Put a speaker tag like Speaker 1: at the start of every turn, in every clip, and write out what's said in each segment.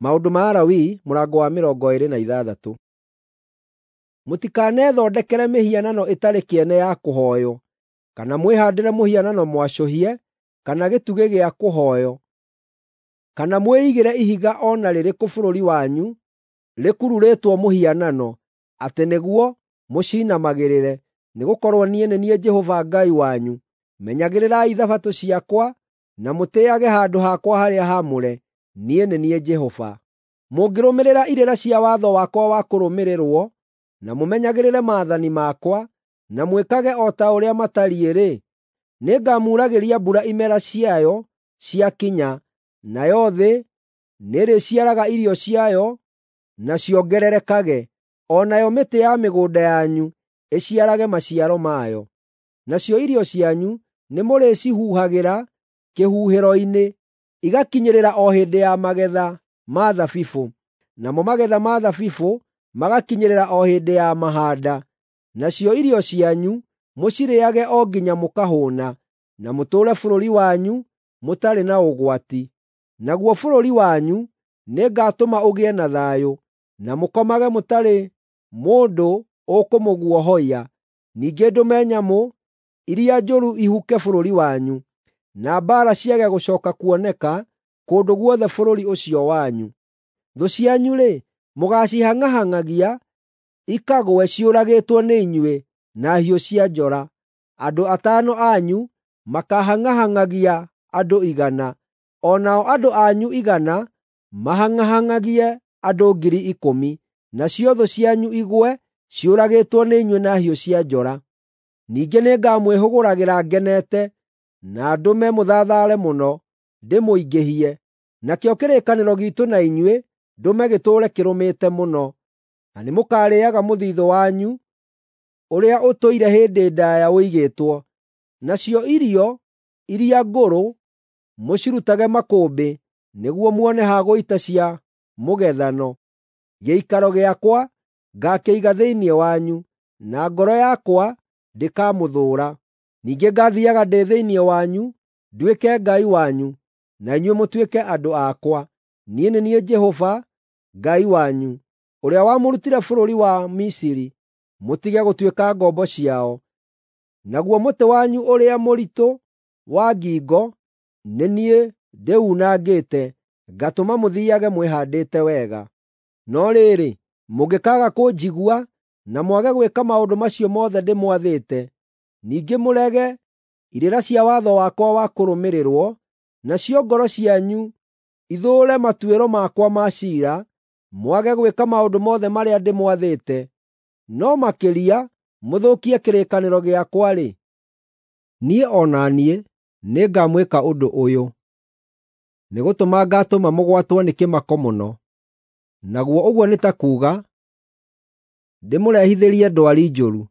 Speaker 1: Maũndũ ma Alawii mũrango wa 26. Mũtikanethondekere mĩhianano ĩtarĩ kĩene ya kũhooywo, kana mwĩhaandĩre mũhianano mwacũhie kana gĩtugĩ gĩa kũhooywo, kana mwĩigĩre ihiga o na rĩrĩkũ bũrũri wanyu rĩkururĩtwo mũhianano, atĩ nĩguo mũcinamagĩrĩre, nĩgũkorwo niĩ nĩ niĩ Jehova Ngai wanyu. Menyagĩrĩrai Thabatũ ciakwa na mũtĩĩage handũ hakwa harĩa haamũre. Niĩ nĩ niĩ Jehova. Mũngĩrũmĩrĩra irĩra cia watho wakwa wa kũrũmĩrĩrwo, na mũmenyagĩrĩre maathani makwa, na mwĩkage o ta ũrĩa matariĩ-rĩ, nĩngamuuragĩria mbura imera ciayo ciakinya, nayo thĩ nĩĩrĩciaraga irio ciayo na ciongererekage, o nayo mĩtĩ ya mĩgũnda yanyu ĩciarage maciaro mayo. Nacio irio cianyu nĩmũrĩcihuhagĩra kĩhuhĩro-inĩ, igakinyĩrĩra o hĩndĩ ya magetha ma thabibũ, namo magetha ma thabibũ magakinyĩrĩra o hĩndĩ ya mahaanda. Nacio irio cianyu mũcirĩĩage o nginya mũkahũũna, na mũtũũre bũrũri wanyu mũtarĩ na ũgwati. Naguo bũrũri wanyu nĩngatũma ũgĩe na thayũ, na mũkomage mũtarĩ mũndũ ũkũmũguoyohia. Ningĩ ndũme nyamũ iria njũru ihuke bũrũri wanyu, na mbaara ciage gũcooka kuoneka kũndũ guothe bũrũri ũcio wanyu. Thũ cianyu-rĩ, mũgaacihang'ahang'agia ikagũe ciũragĩtwo nĩ inyuĩ na hiũ cia njora. Andũ atano anyu makaahang'ahang'agia andũ 100, o nao andũ anyu 100 mahang'ahang'agie andũ 10,000, nacio thũ cianyu igwe ciũragĩtwo nĩ inyuĩ na hiũ cia njora. Ningĩ nĩngamwĩhũgũragĩra ngenete, na ndũme mũthathaare mũno, ndĩmũingĩhie. Nakĩo kĩrĩkanĩro giitũ na inyuĩ ndũme gĩtũũre kĩrũmĩte mũno, na nĩmũkarĩĩaga mũthiithũ wanyu ũrĩa ũtũire hĩndĩ ndaaya ũigĩtwo. Nacio irio iria ngũrũ mũcirutage makũmbĩ nĩguo muone ha gũita cia mũgethano. Gĩikaro gĩakwa ngaakĩiga thĩinĩ wanyu, na ngoro yakwa ndĩkamũthũũra. Ningĩ ngaathiiaga ndĩ thĩinĩ wanyu, nduĩke Ngai wanyu, na inyuĩ mũtuĩke andũ akwa. Niĩ nĩ niĩ Jehova Ngai wanyu, ũrĩa wamũrutire bũrũri wa Misiri, mũtige gũtuĩka ngombo ciao. Naguo mũtĩ wanyu ũrĩa mũritũ wa ngingo nĩ niĩ ndĩunangĩte, ngatũma mũthiiage mwĩhaandĩte wega. No rĩrĩ, mũngĩkaaga kũnjigua na mwage gwĩka maũndũ macio mothe ndĩmwathĩte, ningĩ mũrege irĩra cia watho wakwa wa kũrũmĩrĩrwo, nacio ngoro cianyu ithũũre matuĩro makwa ma ciira, mwage gwĩka maũndũ mothe marĩa ndĩmwathĩte, no makĩria mũthũkie kĩrĩkanĩro gĩakwa-rĩ, niĩ o na niĩ nĩngamwĩka ũndũ ũyũ: Nĩgũtũma ngaatũma mũgwatwo nĩ kĩmako mũno, naguo ũguo nĩ ta kuuga ndĩmũrehithĩrie ndwari njũru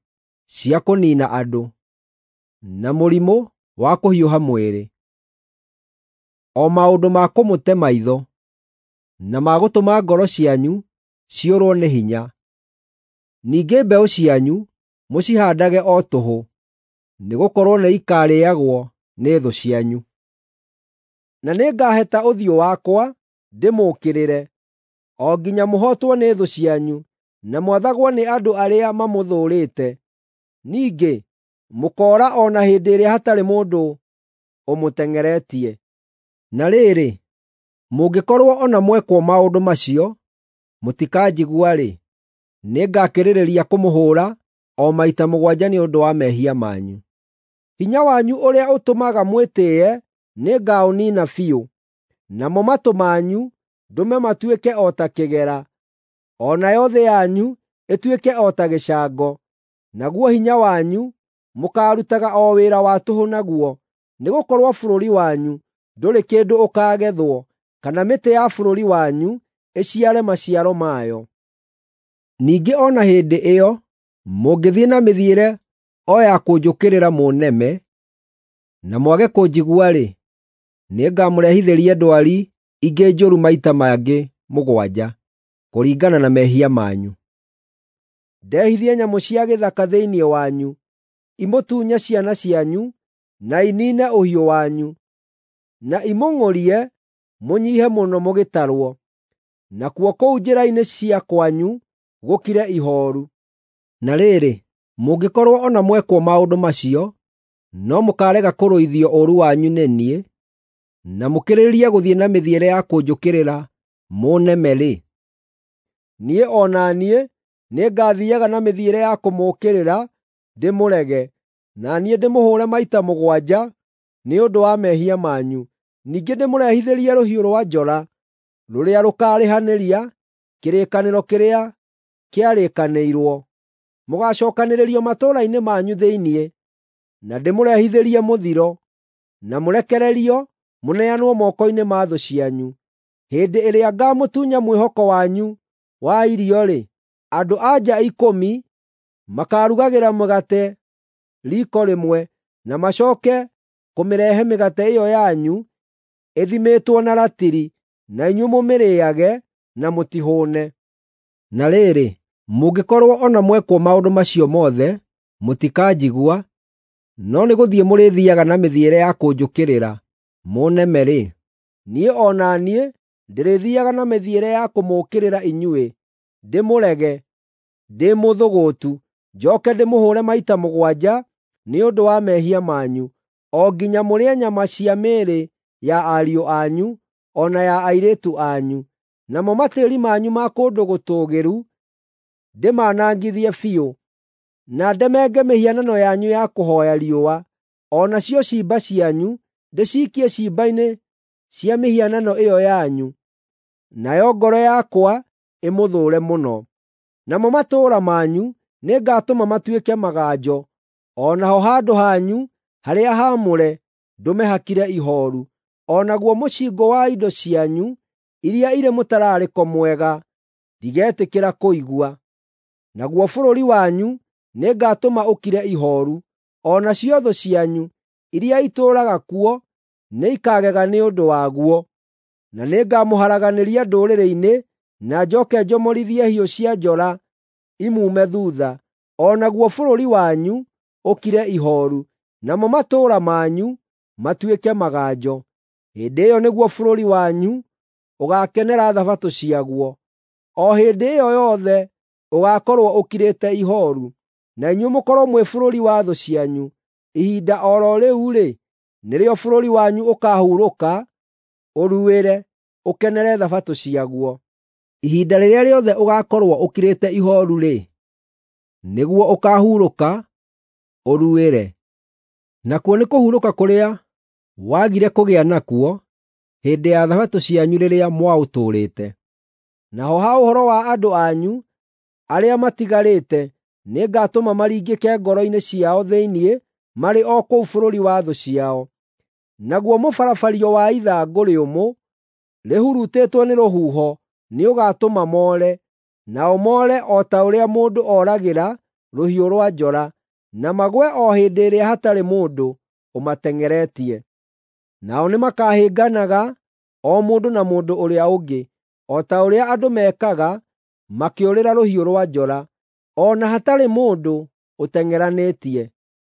Speaker 1: cia kũniina andũ, na mũrimũ wa kũhiũha mwĩrĩ, o maũndũ ma kũmũte maitho, na ma gũtũma ngoro cianyu ciũrwo nĩ hinya. Ningĩ mbeũ cianyu mũcihaandage o tũhũ, nĩgũkorwo nĩikarĩĩagwo nĩ thũ cianyu. Na nĩngaheta ũthiũ wakwa ndĩmũũkĩrĩre, o nginya mũhootwo nĩ thũ cianyu, na mwathagwo nĩ andũ arĩa mamũthũũrĩte. Ningĩ mũkoora o na hĩndĩ ĩrĩa hatarĩ mũndũ ũmũteng'eretie. Na rĩrĩ, mũngĩkorwo o na mwekwo maũndũ macio mũtikanjigua-rĩ, nĩngakĩrĩrĩria kũmũhũũra o maita mũgwanja nĩ ũndũ wa mehia manyu. Hinya wanyu ũrĩa ũtũmaga mwĩtĩĩe nĩngaũniina biũ, namo matũ manyu ndũme matuĩke o ta kĩgera, o nayo thĩ yanyu ĩtuĩke o ta gĩcango. Naguo hinya wanyu mũkaarutaga o wĩra wa tũhũ naguo, nĩgũkorwo bũrũri wanyu ndũrĩ kĩndũ ũkaagethwo, kana mĩtĩ ya bũrũri wanyu ĩciare maciaro mayo. Ningĩ o na hĩndĩ ĩyo mũngĩthiĩ na mĩthiĩre o ya kũnjũkĩrĩra mũneme, na mwage kũnjigua-rĩ, nĩngamũrehithĩria ndwari ingĩ njũru maita mangĩ mũgwanja, kũringana na mehia manyu. Ndehithie nyamũ cia gĩthaka thĩinĩ wanyu, imũtunye ciana cianyu, na iniine ũhiũ wanyu, na imũng'ũrie mũnyiihe mũno mũgĩtarwo. nakuo kũu njĩra-inĩ cia kwanyu gũkire ihooru. Na rĩrĩ, mũngĩkorwo o na mwekwo maũndũ macio, no mũkaarega kũrũithio ũũru wanyu nĩ niĩ, na mũkĩrĩrĩrie gũthiĩ na mĩthiĩre ya kũnjũkĩrĩra mũneme-rĩ, niĩ o na niĩ nĩngathiiaga na mĩthiĩre ya kũmũũkĩrĩra ndĩmũrege, na niĩ ndĩmũhũũre maita 7 nĩ ũndũ wa mehia manyu. Ningĩ ndĩmũrehithĩrie rũhiũ rwa njora rũrĩa rũkaarĩhanĩria kĩrĩkanĩro kĩrĩa kĩarĩkanĩirwo. Mũgaacookanĩrĩrio matũũra-inĩ manyu thĩinĩ, na ndĩmũrehithĩrie mũthiro, na mũrekererio mũneanwo moko-inĩ ma thũ cianyu. Hĩndĩ ĩrĩa ngaamũtunya mwĩhoko wanyu wa irio-rĩ, andũ-a-nja 10 makaarugagĩra mũgate riiko rĩmwe, na macooke kũmĩrehe mĩgate ĩyo yanyu ĩthimĩtwo na ratiri, na inyuĩ mũmĩrĩĩage na mũtihũũne. Na rĩrĩ, mũngĩkorwo o na mwekwo maũndũ macio mothe, mũtikanjigua, no nĩgũthiĩ mũrĩthiiaga na mĩthiĩre ya kũnjũkĩrĩra mũneme-rĩ, niĩ o na niĩ ndĩrĩthiiaga na mĩthiĩre ya kũmũũkĩrĩra inyuĩ, ndĩmũrege, ndĩ mũthũgũtu, njooke ndĩmũhũũre maita 7 nĩ ũndũ wa mehia manyu, o nginya mũrĩe nyama cia mĩĩrĩ ya ariũ anyu o na ya airĩtu anyu. Namo matĩĩri manyu ma kũndũ gũtũũgĩru ndĩmanangithie biũ, na ndemenge mĩhianano yanyu ya kũhooya riũa, o nacio ciimba cianyu ndĩciikie ciimba-inĩ cia mĩhianano ĩyo yanyu, nayo ngoro yakwa ĩmũthũũre mũno. Namo matũũra manyu nĩngatũma matuĩke maganjo, o naho handũ hanyu harĩa haamũre ndũme hakire ihooru, o naguo mũcingũ wa indo cianyu iria irĩ mũtararĩko mwega ndigetĩkĩra kũigua. Naguo bũrũri wanyu nĩngatũma ũkire ihooru, o nacio thũ cianyu iria itũũraga kuo nĩikagega nĩ ũndũ waguo. Na nĩngamũharaganĩria ndũrĩrĩ-inĩ, na njooke njomorithie hiũ cia njora imuume thuutha, o naguo bũrũri wanyu ũkire ihooru, namo matũũra manyu matuĩke maganjo. Hĩndĩ ĩyo nĩguo bũrũri wanyu ũgaakenera Thabatũ ciaguo. O hĩndĩ ĩyo yothe ũgaakorwo ũkirĩte ihooru, na inyuĩ mũkorwo mwĩ bũrũri wa thũ cianyu. Ihinda o ro rĩu-rĩ, nĩrĩo bũrũri wanyu ũkaahurũka, ũruĩre, ũkenere Thabatũ ciaguo. Ihinda rĩrĩa rĩothe ũgaakorwo ũkirĩte ihooru-rĩ, nĩguo ũkaahurũka, ũruĩre. Nakuo nĩ kũhurũka kũrĩa wagire kũgĩa nakuo hĩndĩ ya Thabatũ cianyu rĩrĩa mwaũtũũrĩte. Naho ha ũhoro wa andũ anyu arĩa matigarĩte, nĩngatũma maringĩke ngoro-inĩ ciao thĩinĩ marĩ o kũu bũrũri wa thũ ciao. Naguo mũbarabario wa ithangũ rĩũmũ rĩhurutĩtwo nĩ rũhuho nĩũgatũma moore, nao moore o ta ũrĩa mũndũ oragĩra rũhiũ rwa njora, na magũe o hĩndĩ ĩrĩa hatarĩ mũndũ ũmateng'eretie. Nao nĩmakahĩnganaga o mũndũ na mũndũ ũrĩa ũngĩ, o ta ũrĩa andũ mekaga makĩũrĩra rũhiũ rwa njora, o na hatarĩ mũndũ ũteng'eranĩtie.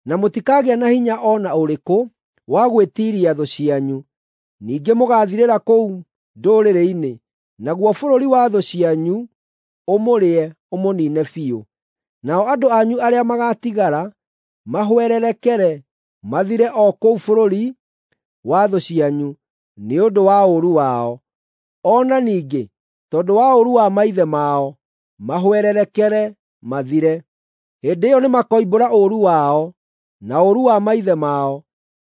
Speaker 1: Na mũtikagĩa na hinya o na ũrĩkũ wa gwĩtiiria thũ cianyu. Ningĩ mũgaathirĩra kũu ndũrĩrĩ-inĩ, naguo bũrũri wa thũ cianyu ũmũrĩe ũmũniine biũ. Nao andũ anyu arĩa magaatigara mahwererekere mathire o kũu bũrũri wa thũ cianyu nĩ ũndũ wa ũũru wao. O na ningĩ tondũ wa ũũru wa maithe mao mahwererekere mathire. Hĩndĩ ĩyo nĩmakoimbũra ũũru wao na ũũru wa maithe mao,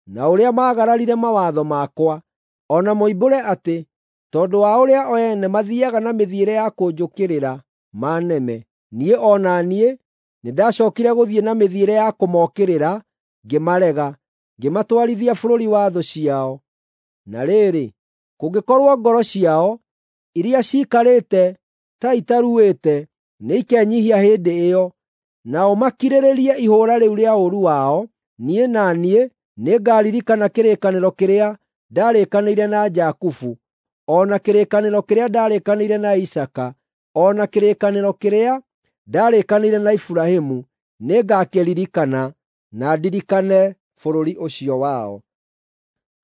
Speaker 1: na ũrĩa maagararire mawatho makwa, o na moimbũre atĩ tondũ wa ũrĩa o ene mathiiaga na mĩthiĩre ya kũnjũkĩrĩra maneme, niĩ o na niĩ nĩndacookire gũthiĩ na mĩthiĩre ya kũmookĩrĩra ngĩmarega, ngĩmatwarithia bũrũri wa thũ ciao. Na rĩrĩ, kũngĩkorwo ngoro ciao iria ciikarĩte ta itaruĩte nĩikenyiihia hĩndĩ ĩyo, nao makirĩrĩrie ihũũra rĩu rĩa ũũru wao, niĩ na niĩ nĩngaririkana kĩrĩkanĩro kĩrĩa ndarĩkanĩire na Jakubu, o na kĩrĩkanĩro kĩrĩa ndarĩkanĩire na Isaaka, o na kĩrĩkanĩro kĩrĩa ndarĩkanĩire na Iburahĩmu, nĩngakĩririkana na ndirikane bũrũri ũcio wao.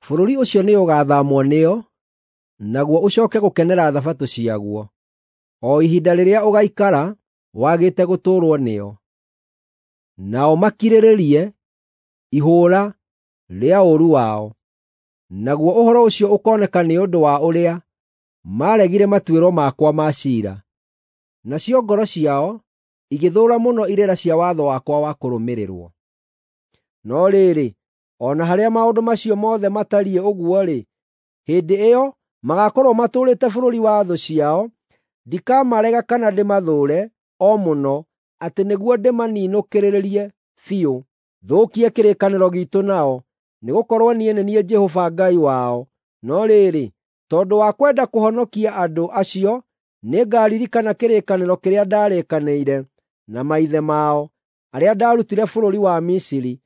Speaker 1: Bũrũri ũcio nĩũgathaamwo nĩo, naguo ũcooke gũkenera Thabatũ ciaguo, o ihinda rĩrĩa ũgaikara wagĩte gũtũũrwo nĩo. Nao makirĩrĩrie ihũũra rĩa ũũru wao. Naguo ũhoro ũcio ũkooneka nĩ ũndũ wa ũrĩa maaregire matuĩro makwa ma ciira, nacio ngoro ciao igĩthũũra mũno irĩra cia watho wakwa wa kũrũmĩrĩrwo. No rĩrĩ, o na harĩa maũndũ macio mothe matariĩ ũguo-rĩ, hĩndĩ ĩyo magaakorwo matũũrĩte bũrũri wa thũ ciao, ndikamarega kana ndĩmathũũre o mũno atĩ nĩguo ndĩmaninũkĩrĩrie biũ, thũkie kĩrĩkanĩro giitũ nao, nĩgũkorwo niĩ nĩ niĩ Jehova Ngai wao. No rĩrĩ, tondũ wa kwenda kũhonokia andũ acio, nĩngaririkana kĩrĩkanĩro kĩrĩa ndaarĩkanĩire na maithe mao, arĩa ndaarutire bũrũri wa Misiri,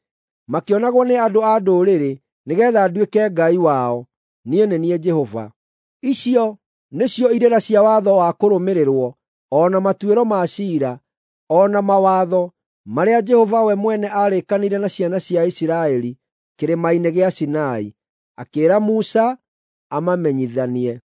Speaker 1: makĩonagwo nĩ andũ a ndũrĩrĩ, nĩgeetha nduĩke Ngai wao. Niĩ nĩ niĩ Jehova. Icio nĩcio irĩra cia watho wa kũrũmĩrĩrwo, o na matuĩro ma ciira, o na mawatho marĩa Jehova we mwene aarĩkanĩire na ciana cia Isiraeli kĩrĩma-inĩ gĩa Sinai, akĩĩra Musa amamenyithanie.